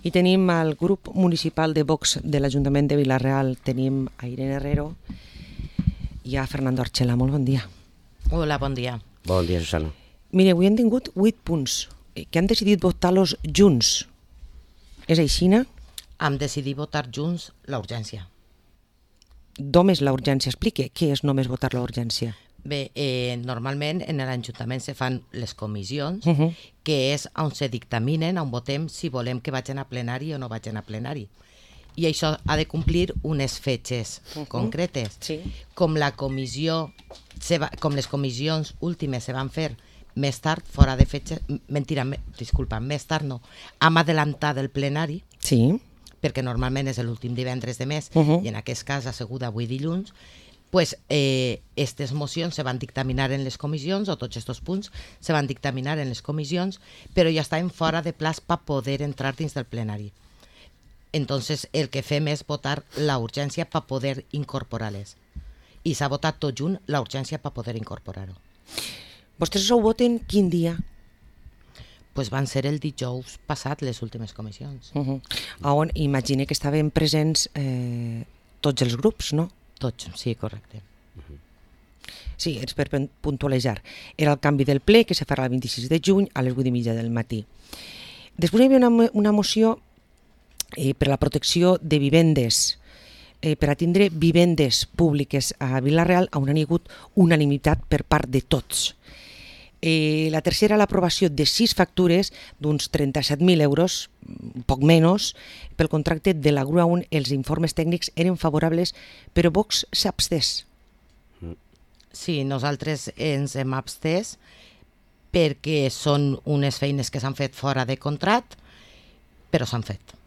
I tenim al grup municipal de Vox de l'Ajuntament de Vila-real, tenim a Irene Herrero i a Fernando Archela. Molt bon dia. Hola, bon dia. Bon dia, Susana. Mire, avui hem tingut 8 punts que han decidit votar-los junts. És aixina? Hem decidit votar junts la urgència. Només la urgència. Explique què és només votar la urgència. Bé, normalment en l'Ajuntament se fan les comissions, que és on se dictaminen, on votem si volem que vagin a plenari o no vagin a plenari. I això ha de complir unes fetges concretes. Sí. Com la comissió, com les comissions últimes se van fer més tard, fora de fetges, més tard no, hem adelantat el plenari, Sí. perquè normalment és l'últim divendres de mes, i en aquest cas ha sigut avui dilluns, pues aquestes mocions se van dictaminar en les comissions, o tots aquests punts se van dictaminar en les comissions, però ja estaven fora de plaç per poder entrar dins del plenari. Entonces el que fem és votar la urgència per poder incorporar-les. I s'ha votat tot junt la urgència per poder incorporar-ho. Vostès ho voten quin dia? Pues van ser el dijous passat les últimes comissions. On imagine que estaven presents tots els grups, no? Tots, sí, correcte. Sí, és per puntualitzar. Era el canvi del ple que se farà el 26 de juny a les 8:30 del matí. Després hi havia una moció per a la protecció de vivendes, per a tindre vivendes públiques a Vila-real, on hi ha hagut unanimitat per part de tots. La tercera, l'aprovació de 6 factures d'uns 37.000 euros, un poc menys, pel contracte de la grua on els informes tècnics eren favorables, però Vox s'ha abstès. Sí, nosaltres ens hem abstès perquè són unes feines que s'han fet fora de contracte, però s'han fet.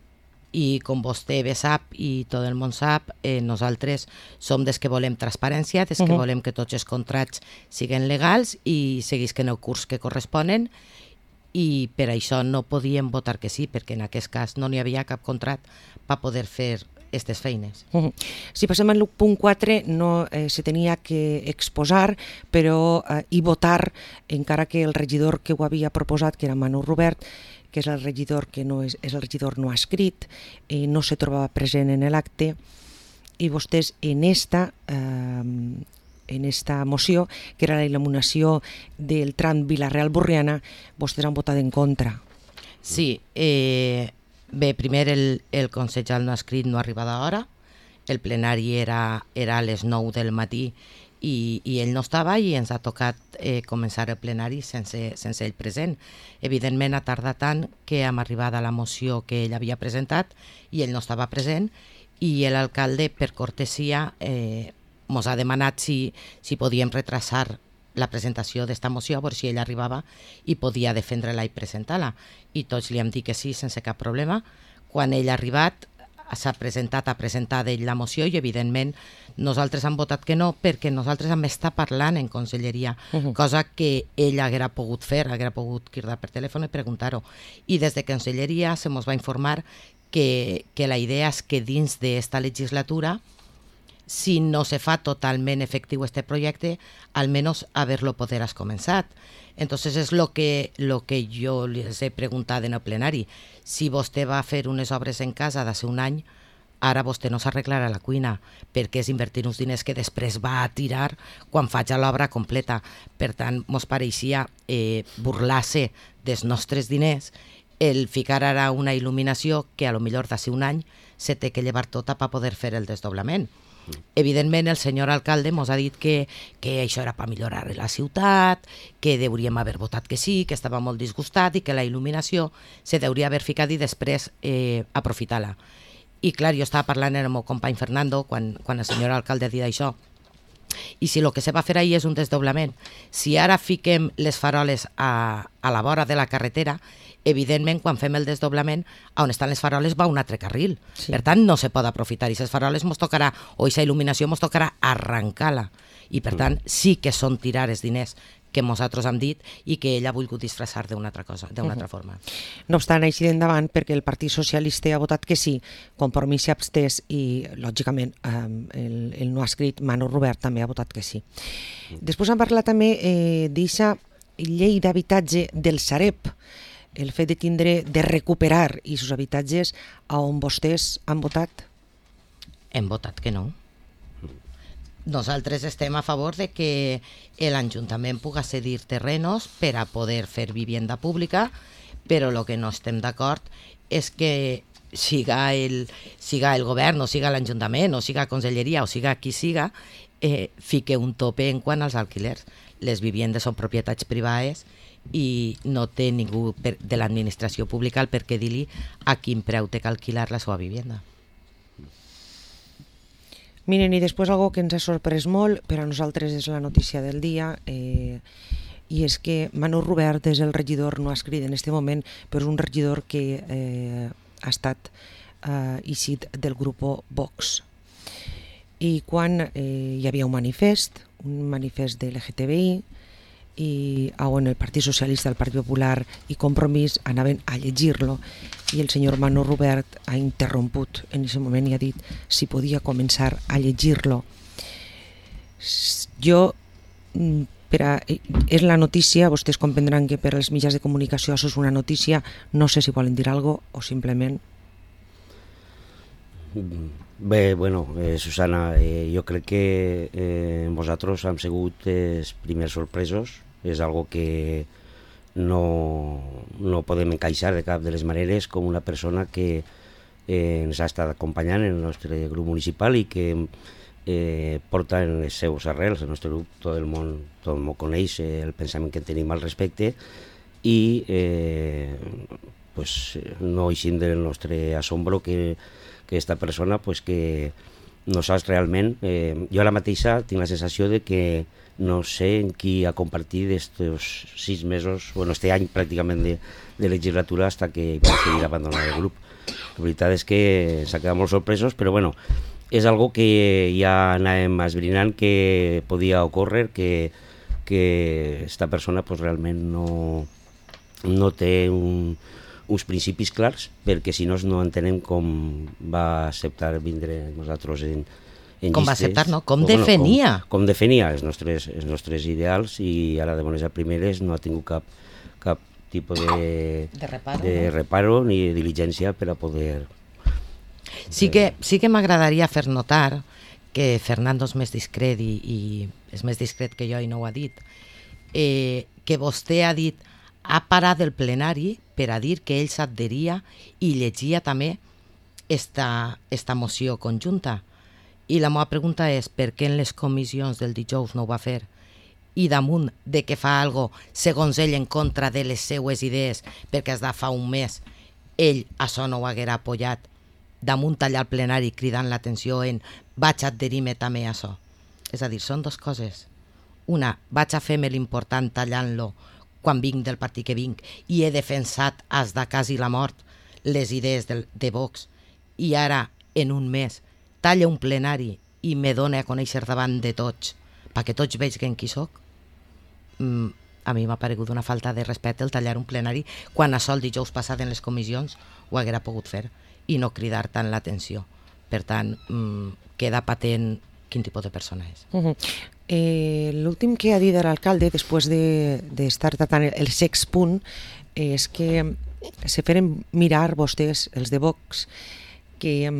I com vostè bé sap i tot el món sap, nosaltres som des que volem transparència, des que volem que tots els contractes siguin legals i seguisquen el curs que corresponen, i per això no podíem votar que sí, perquè en aquest cas no n'hi havia cap contracte per poder fer aquestes feines. Si passem al punt 4, no se tenia que exposar, però i votar, encara que el regidor que ho havia proposat, que era Manu Robert, que és el regidor que no és el regidor no escrit, no se trobava present en l'acte, i vostès en esta moció, que era la il·luminació del tram Vila-real-Borriana, vostès han votat en contra. Sí, bé, primer el consellal no escrit no arriba d'hora, el plenari era a les 9 del matí i ell no estava i ens ha tocat començar el plenari sense ell present. Evidentment ha tardat tant que hem arribat a la moció que ell havia presentat i ell no estava present, i l'alcalde, per cortesia, ens ha demanat si podíem retrasar la presentació d'esta moció, a veure si ell arribava i podia defendre-la i presentar-la. I tots li hem dit que sí, sense cap problema. Quan ell ha arribat, s'ha presentat, ha presentat ell la moció i, evidentment, nosaltres hem votat que no perquè nosaltres hem estat parlant en conselleria, cosa que ell haguera pogut fer, haguera pogut cridar per telèfon i preguntar-ho. I des de conselleria se mos va informar que la idea és que dins d'esta legislatura, si no se fa totalment efectiu este projecte, almenys haver-lo poderàs començat. Entonces és lo que jo les he preguntat en el plenari. Si vostè va fer unes obres en casa d'hace un any, ara vostè no s'arreglarà la cuina, perquè és invertir uns diners que després va a tirar quan faig l'obra completa. Per tant, mos pareixia burlar-se dels nostres diners el ficar ara una il·luminació que a lo millor d'ací un any se té que llevar tota per poder fer el desdoblament. Evidentment el senyor alcalde ens ha dit que això era per millorar la ciutat, que hauríem haver votat que sí, que estava molt disgustat i que la il·luminació se hauria haver ficat i després aprofitar-la. I clar, jo estava parlant amb el meu company Fernando quan el senyor alcalde ha dit això, i si el que se va fer ahir és un desdoblament, si ara fiquem les faroles a la vora de la carretera, evidentment, quan fem el desdoblament, on estan les faroles va un altre carril. Sí. Per tant, no se pot aprofitar. I les faroles mos tocarà, o aquesta il·luminació mos tocarà arrencar-la. I per tant, sí que són tirar els diners que nosaltres hem dit i que ell ha volgut disfressar d'una altra cosa, d'una altra forma. No obstant, així d'endavant, perquè el Partit Socialista ha votat que sí, Compromís s'ha abstès i, lògicament, el no ha escrit Manu Robert també ha votat que sí. Després hem parlat també d'aquesta llei d'habitatge del Sareb, el fet de recuperar aquests habitatges on vostès han votat? Hem votat que no. Nosaltres estem a favor de que l'Ajuntament pugui cedir terrenos per a poder fer vivienda pública, però el que no estem d'acord és que siga el govern, o siga l'Ajuntament, o siga Conselleria, o siga qui siga, fique un tope en quant als alquilers. Les viviendes són propietats privades i no té ningú de l'administració pública el per què dir-li a quin preu té que alquilar la seva vivienda. Miren, i després algo que ens ha sorprès molt, per a nosaltres és la notícia del dia, i és que Manu Rubert és el regidor, no ha escrit en aquest moment, però és un regidor que ha estat eixit del grup Vox. I quan hi havia un manifest de l'LGTBI, i on el Partit Socialista, el Partit Popular i Compromís anaven a llegir-lo, i el senyor Manu Rubert ha interromput en aquest moment i ha dit si podia començar a llegir-lo. És la notícia, vostès comprendran que per als mitjans de comunicació això és una notícia, no sé si volen dir alguna cosa o simplement... Bé, bueno, Susana, jo crec que vosaltres hem sigut els primers sorpresos, és algo que no podem encaixar de cap de les maneres com una persona que ens ha estat acompanyant en el nostre grup municipal i que porta en les seus arrels, el nostre grup, tot el món coneix el pensament que tenim al respecte i no eixim del nostre assombro que aquesta persona, que no saps realment, jo ara mateixa tinc la sensació de que no sé en qui ha compartit estos 6 mesos, bueno, este any pràcticament de legislatura hasta que va decidir abandonar el grup. La veritat és que s'ha quedat molt sorpresos, però bueno, és algo que ja anàvem esbrinant que podia ocórrer, que esta persona realment no té uns principis clars, perquè si no entenem com va acceptar vindre nosaltres en llistes. Com va acceptar, no? Com defenia. Com defenia els nostres ideals, i ara de bones a primeres no ha tingut cap tipus de reparo ni de diligència per a poder... Sí que m'agradaria fer notar que Fernando és més discret i és més discret que jo i no ho ha dit, que vostè ha dit ha parat el plenari per a dir que ell s'adheria i llegia també esta moció conjunta. I la meva pregunta és per què en les comissions del dijous no ho va fer? I damunt de que fa algo segons ell en contra de les seues idees, perquè des de fa un mes ell això no ho haguera apoyat, damunt allà al plenari cridant l'atenció en vaig adherir-me també a això. És a dir, són dues coses. Una, vaig a fer-me l'important tallant-lo quan vinc del partit que vinc i he defensat fins de quasi la mort les idees de Vox, i ara en un mes talla un plenari i me dona a conèixer davant de tots perquè tots vegin qui soc. A mi m'ha paregut una falta de respecte el tallar un plenari quan això el dijous passat en les comissions ho haguera pogut fer i no cridar tant l'atenció. Per tant, queda patent quin tipus de persona és. L'últim que ha dit l'alcalde després d'estar tratant el sex punt és que se feren mirar vostès, els de Vox, que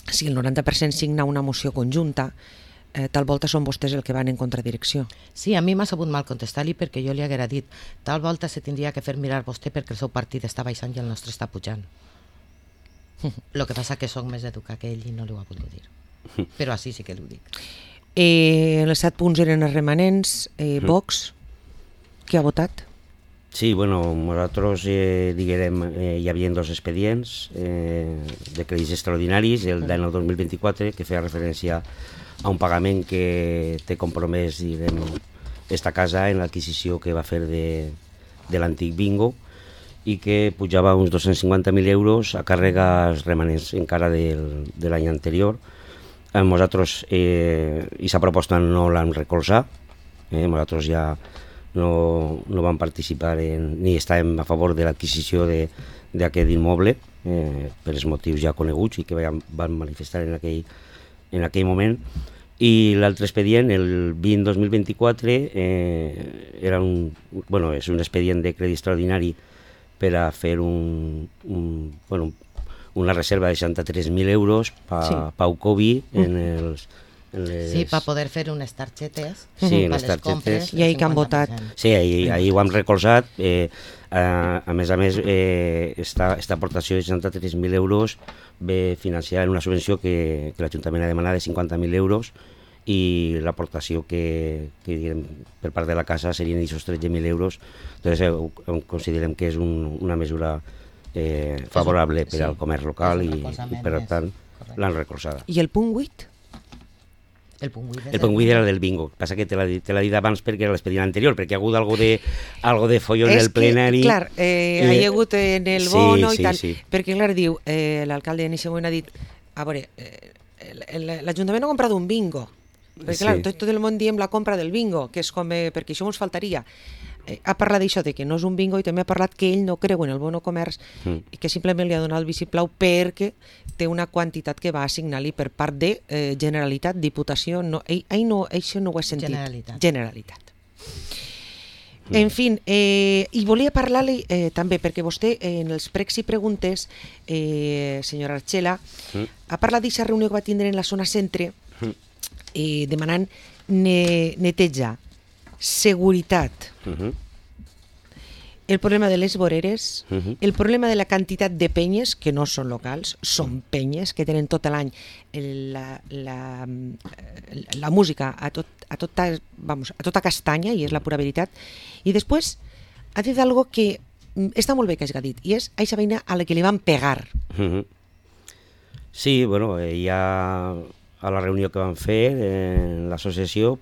si el 90% signa una moció conjunta, tal volta són vostès el que van en contradirecció. Sí, a mi m'ha sabut mal contestar-li perquè jo li haguera dit tal volta se tindria que fer mirar vostè perquè el seu partit està baixant i el nostre està pujant. El que passa que soc més educat que ell i no li ho ha volgut dir. Però així sí que l'ho dic. Els 7 punts eren els remanents. Vox, què ha votat? Sí, bueno, nosaltres diguem, hi havia 2 expedients de crèdits extraordinaris, el d'any 2024, que feia referència a un pagament que té compromès, diguem, esta casa en l'adquisició que va fer de l'antic bingo i que pujava uns 250.000 euros a càrregues remanents encara de l'any anterior. Nosaltres aquesta proposta no l'hem recolzat, nosaltres ja no vam participar ni estàvem a favor de l'adquisició d'aquest immoble per els motius ja coneguts i que van manifestar en aquell moment. I l'altre expedient, el 20-2024, és un expedient de crèdit extraordinari per a fer una reserva de 63.000 euros Pau Covi Sí, per poder fer unes targetes. Sí, unes targetes. I ahir que han votat. Sí, ahir ho hem recolzat. A més, esta aportació de 63.000 euros ve financiada en una subvenció que l'Ajuntament ha demanat de 50.000 euros i l'aportació que per part de la casa serien aquests 13.000 euros. Entonces, considerem que és una mesura favorable per al comerç local i per tant l'han recolzada. I el punt 8? El punt 8 era del bingo. Passa que te l'ha dit abans perquè era l'expedient anterior, perquè ha hagut algo de folló en el plenari. Clar, hi ha hagut en el bono i tal, sí. perquè clar, diu, l'alcalde en aquest moment ha dit, a veure, l'Ajuntament ha comprat un bingo, perquè clar, tot el món diem la compra del bingo, que és com, perquè això ens faltaria. Ha parlat d'això, de que no és un bingo, i també ha parlat que ell no creu en el bono comerç i que simplement li ha donat el vistiplau perquè té una quantitat que va assignar-li per part de Generalitat, Diputació, això no ho he sentit. Generalitat. En fi, i volia parlar-li també, perquè vostè en els pregs i preguntes, senyora Archela, ha parlat d'aquesta reunió que va tindre en la zona centre demanant netejar, seguretat, el problema de les voreres, el problema de la quantitat de penyes, que no són locals, són penyes que tenen tot l'any la música a tota castanya, i és la pura veritat. I després ha dit algo que està molt bé que hagi dit, i és aquesta veïna a la que li van pegar. Sí, bueno, ja a la reunió que van fer en l'associació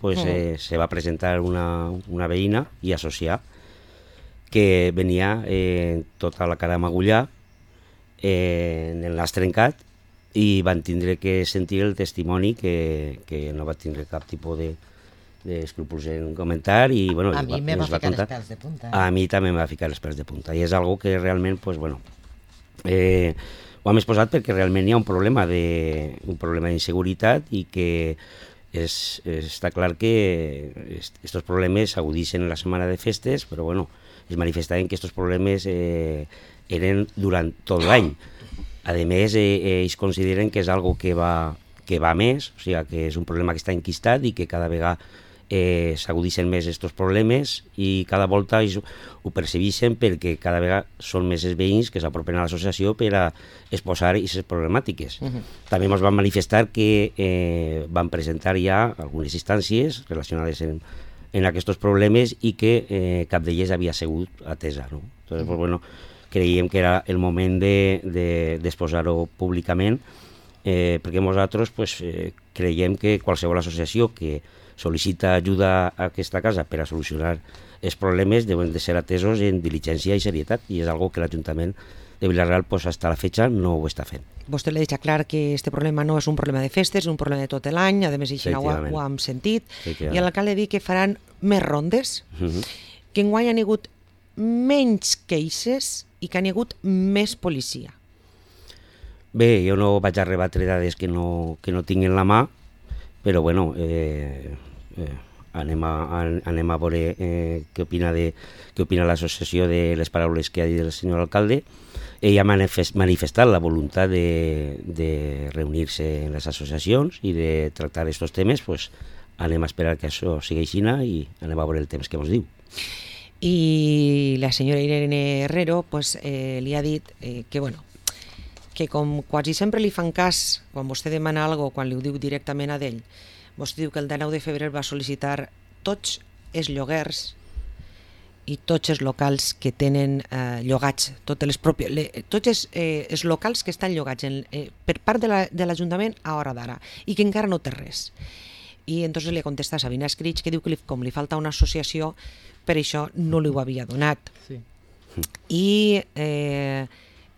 se va presentar una veïna i associar que venia tota la cara magullà, en el nas trencat, i van tindre que sentir el testimoni que no va tindre cap tipus d'escrúpols en comentar, i bueno, a mi me va ficar els pèls de punta. A mi també me va ficar els pèls de punta, i és algo que realment, pues bueno, ho hem exposat perquè realment hi ha un problema d'inseguretat i que està clar que aquests problemes s'agudixen en la setmana de festes, però bueno, es manifestaven que aquests problemes eren durant tot l'any. A més, ells consideren que és algo que va més, o sigui, que és un problema que està enquistat i que cada vegada s'agudixen més aquests problemes, i cada volta ells ho percebeixen perquè cada vegada són més els veïns que s'apropen a l'associació per a exposar aquestes problemàtiques. També ens van manifestar que van presentar ja algunes instàncies relacionades en aquests problemes i que cap d'elles havia sigut atesa. Entonces, pues, bueno, creiem que era el moment d'exposar-ho públicament, perquè nosaltres creiem que qualsevol associació que sol·licita ajuda a aquesta casa per a solucionar els problemes deuen de ser atesos en diligència i serietat, i és algo que l'Ajuntament de Vila-real fins a la fecha no ho està fent. Vostè li ha dit clar que aquest problema no és un problema de festes, és un problema de tot l'any, a més això ho hem sentit, i l'alcalde ha dit que faran més rondes, que enguany han hagut menys queixes i que han hagut més policia. Bé, jo no vaig a rebatre dades que no tinc en la mà, però bueno, anem a veure què opina l'associació de les paraules que ha dit el senyor alcalde. Ell ha manifestat la voluntat de reunir-se en les associacions i de tractar aquests temes. Pues anem a esperar que això sigui així i anem a veure el temps que ens diu. I la senyora Irene Herrero li ha dit que bueno, que com quasi sempre li fan cas quan vostè demana alguna cosa, quan li ho diu directament a d'ell. Vostè diu que el 19 de febrer va sol·licitar tots els lloguers i tots els locals que tenen llogats, tots els locals que estan llogats per part de l'Ajuntament a hora d'ara i que encara no té res. I entonces li contesta a Sabina Escrig, que diu que com li falta una associació, per això no li ho havia donat. Sí. I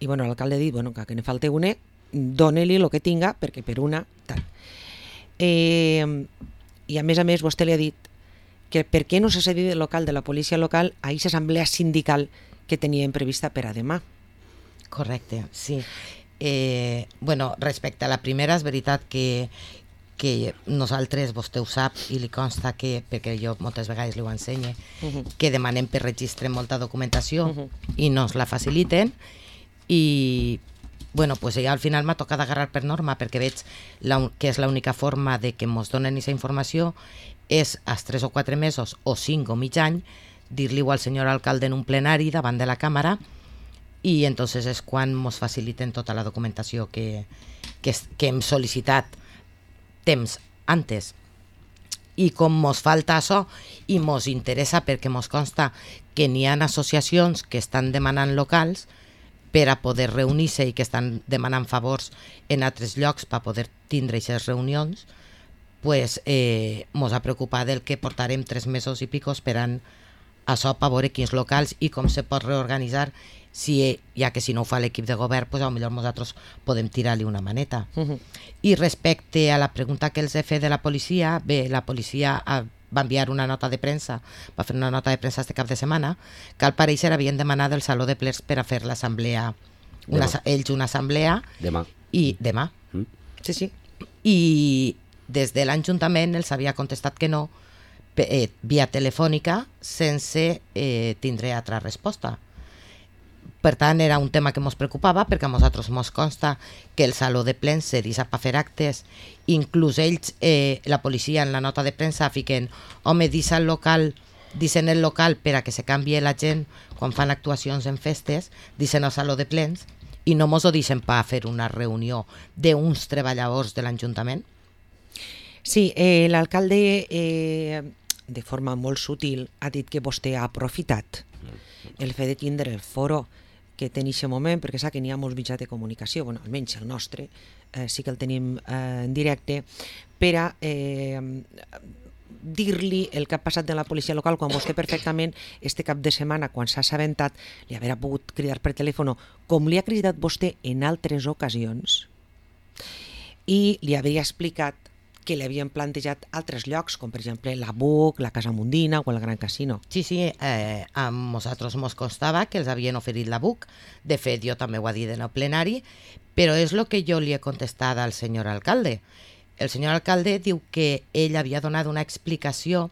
bueno, l'alcalde ha dit que ne falta una, dóna-li el que tinga, perquè per una tal. I a més vostè li ha dit que per què no s'ha cedit el local de la policia local a aquesta assemblea sindical que tenien prevista per a demà. Correcte, sí. Bueno, respecte a la primera, és veritat que que nosaltres, vostè ho sap, i li consta que, perquè jo moltes vegades li ho ensenye, que demanem per registre molta documentació i no ens la faciliten, i bueno, pues ja al final m'ha tocat agarrar per norma, perquè veig que és l'única forma de que ens donen aquesta informació és als 3 o 4 mesos o 5 o mig any dir-li-ho al senyor alcalde en un plenari davant de la càmera, i entonces és quan ens faciliten tota la documentació que hem sol·licitat temps antes. I com ens falta això i ens interessa, perquè ens consta que n'hi ha associacions que estan demanant locals per a poder reunir-se i que estan demanant favors en altres llocs per poder tindre aquestes reunions, pues ens ha preocupat el que portarem 3 mesos i pico esperant això per veure quins locals i com se pot reorganitzar, ja que si no ho fa l'equip de govern, pues potser nosaltres podem tirar-li una maneta. I respecte a la pregunta que els he fet de la policia, bé, la policia va enviar una nota de premsa, va fer una nota de premsa este cap de setmana, que al pareixer havien demanat del Saló de Plens per a fer l'assemblea, ells una assemblea, demà. Sí, sí. I des de l'Ajuntament els havia contestat que no, via telefònica, sense tindre altra resposta. Per tant, era un tema que ens preocupava, perquè a nosaltres ens consta que el Saló de Plens se deixa per fer actes, inclús ells, la policia en la nota de premsa fiquen, home, dissent el local per a que se canvie la gent quan fan actuacions en festes, dissent el Saló de Plens, i no ens ho deixen per fer una reunió d'uns treballadors de l'Ajuntament. Sí, l'alcalde, de forma molt sutil, ha dit que vostè ha aprofitat el fet de tindre el foro que té en aquest moment, perquè sap que n'hi ha molts mitjans de comunicació, bueno, almenys el nostre, sí que el tenim en directe, per a dir-li el que ha passat de la policia local, quan vostè perfectament, este cap de setmana, quan s'ha assabentat, li haurà pogut cridar per telèfon, com li ha cridat vostè en altres ocasions, i li havia explicat que li havien plantejat altres llocs, com per exemple la BUC, la Casa Mundina o el Gran Casino. Sí, a nosaltres ens constava que els havien oferit la BUC, de fet jo també ho he dit en el plenari, però és el que jo li he contestat al senyor alcalde. El senyor alcalde diu que ell havia donat una explicació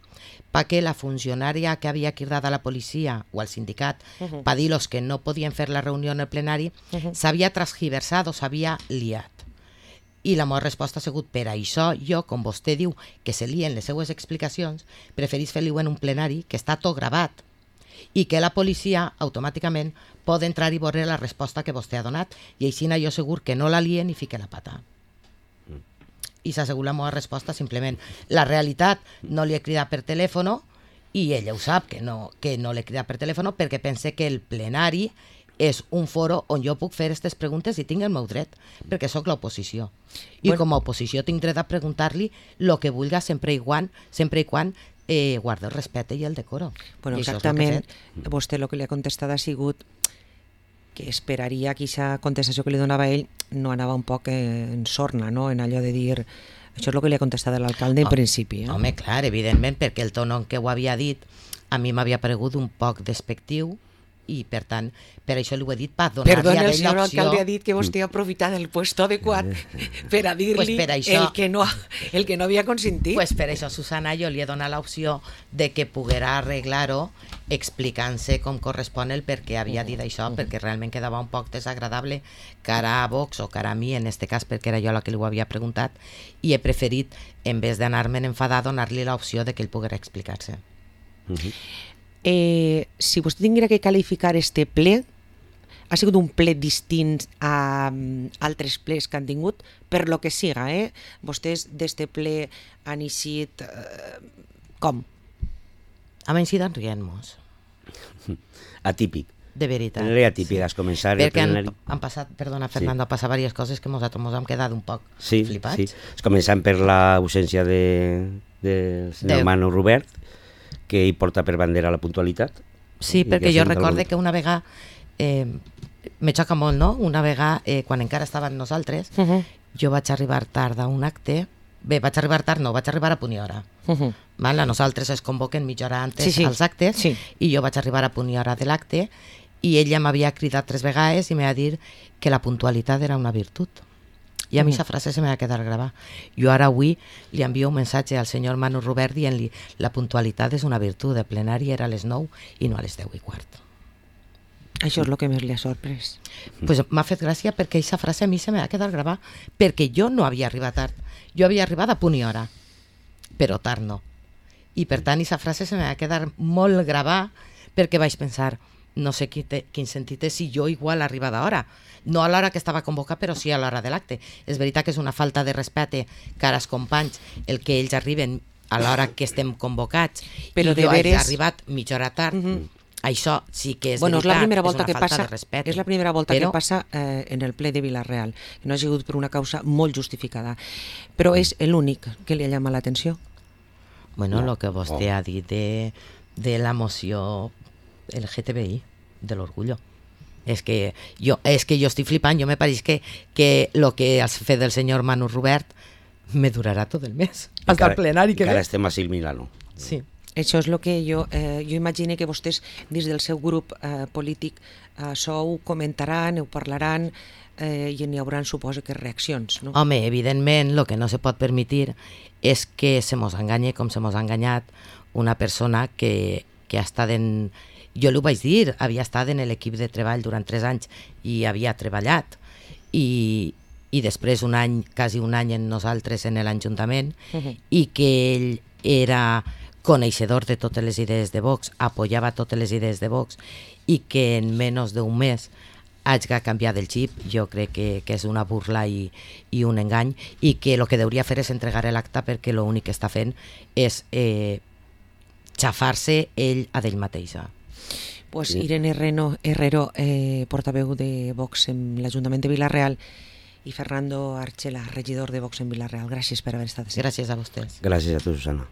perquè la funcionària que havia cridat a la policia o al sindicat per dir-los que no podien fer la reunió en el plenari s'havia transgiversat o s'havia liat. I la meva resposta ha sigut, per això jo, com vostè diu, que se lien les seues explicacions, preferís fer-li-ho en un plenari, que està tot gravat, i que la policia automàticament pot entrar i veure la resposta que vostè ha donat, i així jo segur que no la lien i fique la pata. I s'ha assegut la meva resposta simplement. La realitat, no li he cridat per telèfon, i ella ho sap, que no l'he cridat per telèfon, perquè pense que el plenari és un foro on jo puc fer aquestes preguntes i tinc el meu dret, perquè sóc l'oposició. I com a oposició tinc dret a preguntar-li el que vulgui sempre i quan guarda el respecte i el decoro. Bueno, exactament, vostè el que li ha contestat ha sigut que esperaria que aquesta contestació que li donava ell no anava un poc en sorna, no? En allò de dir... Això és el que li ha contestat l'alcalde en principi. Home, clar, evidentment, perquè el tono en què ho havia dit a mi m'havia paregut un poc despectiu, i per tant, per això li ho he dit per donar-li a ell l'opció. Perdona, el senyor alcalde ha dit que vostè ha aprofitat el puesto adequat per a dir-li el que no havia consentit. Pues per això, Susana, jo li he donat l'opció de que poguera arreglar-ho explicant-se com correspon el per què havia dit això, perquè realment quedava un poc desagradable cara a Vox o cara a mi, en este cas perquè era jo la que li ho havia preguntat, i he preferit, en vez d'anar-me'n enfadar, donar-li l'opció de que ell poguera explicar-se. Si vostè tinguera que qualificar este ple, ha sigut un ple distint a altres plens que han tingut, per lo que siga, Vostès d'este ple han eixit com? Hem eixit rient-nos. Atípic. De veritat. Era atípic, has començat el plenari. Perquè han passat, perdona Fernando, han passat diverses coses que nosaltres ens hem quedat un poc flipats. Sí, començant per l'ausència del senyor Manu Robert, que hi porta per bandera la puntualitat. Sí, perquè jo recorde que una vegada, me xoca molt, no? Una vegada, quan encara estàvem nosaltres, jo vaig arribar tard a un acte, vaig arribar a punt i hora. Nosaltres es convoquen mitja hora antes als actes, i jo vaig arribar a punt i hora de l'acte, i ella m'havia cridat 3 vegades i m'ha dit que la puntualitat era una virtut. I a mi aquesta frase se m'ha de quedar gravada. Jo ara avui li envio un missatge al senyor Manu Robert dient-li la puntualitat és una virtut, de plenari era a les 9 i no a les 10:15. Això és el que més li ha sorprès. Pues m'ha fet gràcia perquè aquesta frase a mi se m'ha de quedar gravada, perquè jo no havia arribat tard. Jo havia arribat a punt i hora, però tard no. I per tant aquesta frase se m'ha de quedar molt gravada perquè vaig pensar, no sé quin sentit és si jo igual arriba d'hora. No a l'hora que estava convocat, però sí a l'hora de l'acte. És veritat que és una falta de respecte cara als companys el que ells arriben a l'hora que estem convocats, però i jo he arribat mitja hora tard. Això sí que és veritat, és la primera volta és una que falta passa, de respecte. és la primera volta que passa en el ple de Vila-real, que no ha sigut per una causa molt justificada, però és l'únic que li ha llamat l'atenció. Bueno, el que vostè ha dit de la moció LGTBI, de l'orgullo. És que jo estic flipant, jo me pareix que el que has fet del senyor Manu Robert me durarà tot el mes, fins al plenari que ve. Encara estem a Sil Milano. Sí. Això és el que jo imagino que vostès dins del seu grup polític això ho comentaran, ho parlaran i n'hi haurà, suposo, que reaccions, no? Home, evidentment, el que no se pot permetre és que se mos enganye com se mos ha enganyat una persona que ha estat en... Jo l'ho vaig dir, havia estat en l'equip de treball durant 3 anys i havia treballat i després quasi un any en nosaltres en l'Ajuntament i que ell era coneixedor de totes les idees de Vox, apoyava totes les idees de Vox i que en menys d'un mes hagi canviat el xip, jo crec que és una burla i un engany i que el que hauria fer és entregar l'acte perquè l'únic que està fent és xafar-se ell a ell mateixa. Pues Irene Herrero, portaveu de Vox en l'Ajuntament de Vila-real, i Fernando Archela, regidor de Vox en Vila-real. Gràcies per haver estat així. Gràcies a vostès. Gràcies a tu, Susana.